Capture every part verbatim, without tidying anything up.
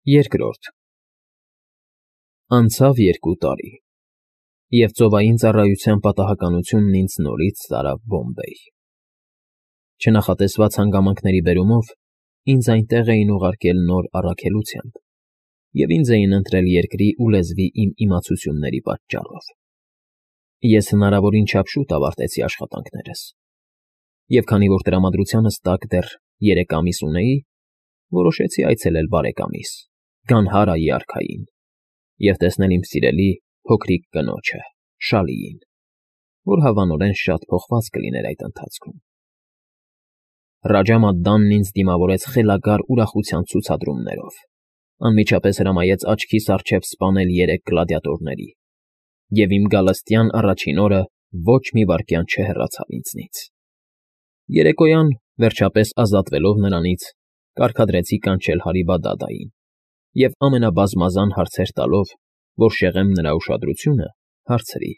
Երկրորդ Անցավ երկու տարի, և ծովային ծառայության պատահականությունն ինձ նորից տարավ Բոմբեյ. չնախատեսված հանգամանքների բերումով ինձ այնտեղ էին ուղարկել նոր առաքելությամբ, և ինձ էին ընտրել երկրի ու լեզվի իմ իմացությունների պատճառով. ես հնարավորին չափ շուտ ավարտեցի աշխատանքներս, և քանի որ տրամադրությանս տակ դեռ երեք ամիս ունեի, որոշեցի այցելել բարեկամիս՝ Գանհարայի արքային և տեսնել իմ սիրելի փոքրիկ կնոջը՝ Շալիին, որ հավանորեն շատ փոխված կլիներ այդ ընթացքում։ Ռաջա-Մադդանն ինձ դիմավորեց խելագար ուրախության ցուցադրումներով, անմիջապես հրամայեց աչքիս առջև սպանել երեք գլադիատորների, և իմ գալստյան առաջին օրը ոչ մի վայրկյան չհեռացավ ինձնից։ Երեկոյան, վերջապես ազատվելով նրանից, կարգադրեցի կանչել Հարիբա֊դադային և ամենաբազմազան հարցեր տալով, որ շեղեմ նրա ուշադրությունը, հարցրի.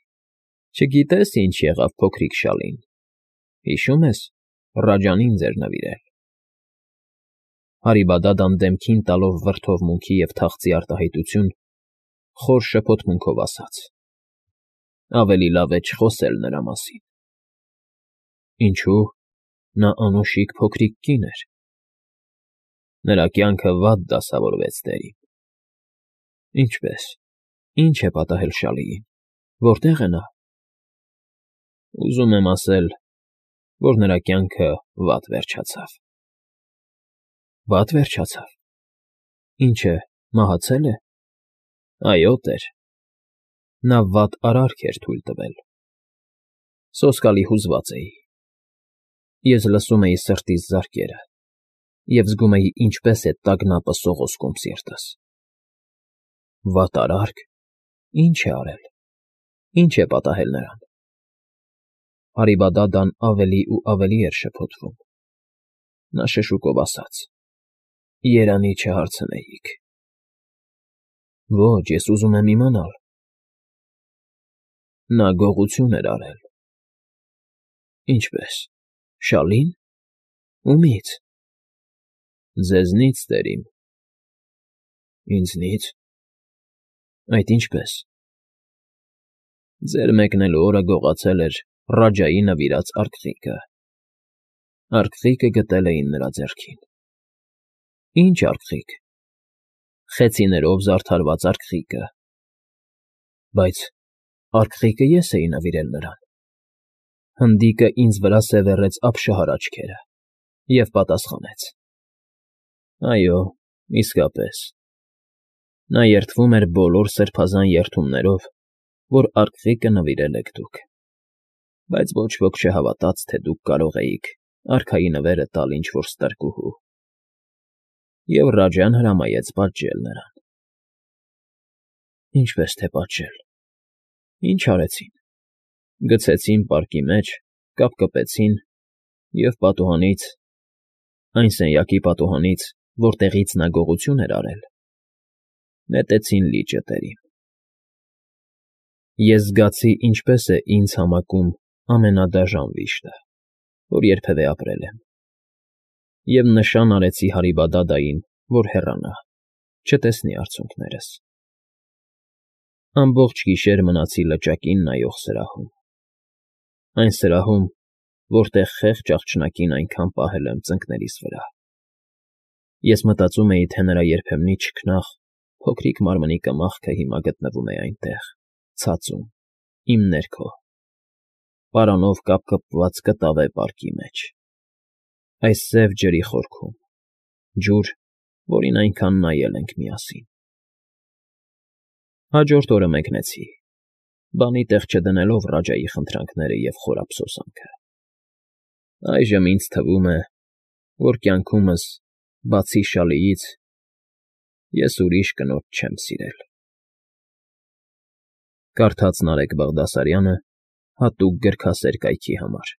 «Չգիտե՞ս ինչ եղավ փոքրիկ Շալին, հիշո՞ւմ ես, Ռաջան ինձ էր նվիրել»։ Հարիբա֊դադան դեմքին տալով վրդովմունքի և թախծի արտահայտություն, խոր շփոթմունքով ասաց. «Ավելի լավ է չխոսել նրա մասին»։ Ինչո՞ւ, նա անուշիկ փոքրիկ կին էր։ Նրա կյանքը վատ դասավորվեց, տերին։ Ինչպե՞ս, ի՞նչ է պատահել Շալիին, որտե՞ղ է նա։ Ուզում եմ ասել, որ նրա կյանքը վատ վերջացավ։ Վատ վերջացա՞վ, ինչ է, մահացե՞լ է։ Այո, տեր, նա վատ արարք էր թույլ տվել։ Սոսկալի հուզված էի։ Ես լսում էի սրտիս զարկերը և զգում էի ինչպես է տագնապը սողոսկում սիրտս։ Վատ արարք, ի՞նչ է արել, ի՞նչ է պատահել նրան։ Հարիբա֊դադան ավելի ու ավելի էր շփոթվում։ Նա շշուկով ասաց. «Երանի չհարցնեիք»։ Ոչ, ես ուզում եմ իմանալ։ Նա գողություն էր արել։ Ինչպե՞ս, Շալի՞ն, ումի՞ց։ Ձեզնից, տերիմ։ Ինձնի՞ց։ Այդ ինչպե՞ս։ Ձեր մեկնելու օրը գողացել էր Ռաջայի նվիրած արքղիկը։ Արքղիկը գտել էին նրա ձեռքին։ Ի՞նչ արքղիք։ Խեցիներով զարդարված արքղիկը։ Բայց արքղիկը ես էի նվիրել նրան։ Հնդիկը ինձ վրա սևեռեց ապշահար աչքերը և պատասխանեց. Այո, իսկապես։ Նա երդվում էր բոլոր սրբազան երդումներով, որ արքղիկը նվիրել եք դուք, բայց ոչ ոք չհավատաց, թե դուք կարող էիք արքայի նվերը տալ ինչ֊որ ստրկուհու, և Ռաջան հրամայեց պատժել նրան։ Ինչպես թե պատժել։ Ինչ արեցին։ Գցեցին պարկի մեջ, կապկպեցին և պատուհանից, այն սենյակի պատուհանից, որտեղից նա գողություն էր արել, նետեցին լիճը, տերին։ Ես զգացի ինչպես է ինձ համակում ամենադաժան վիշտը, որ երբևէ ապրել եմ, և նշան արեցի Հարիբա֊դադային, որ հեռանա, չտեսնի արցունքներս։ Ամբողջ գիշեր մնացի լճակին նայող սրահում, այն սրահում, որտեղ խեղճ աղջնակին այնքան պահել եմ ծնկներիս վրա։ Ես մտածում էի, թե նրա երբեմնի չքնաղ, փոքրիկ մարմնի կմախքը հիմա գտնվում է այնտեղ, ցածում, իմ ներքո, պարանով կապկպված կտավե պարկի մեջ, այս սև ջրի խորքում, ջուր, որին այնքան նայել ենք միասին։ Հաջորդ օրը մեկնեցի, բանի տեղ չդնելով Ռաջայի խնդրանքները և խորափսոսանքը։ Այժմ ինձ թվում է, որ կյանքումս, բացի Շալիից, ես ուրիշ կնոջ չեմ սիրել։ Կարդաց Նարեկ Բաղդասարյանը հատուկ գրքասեր կայքի համար։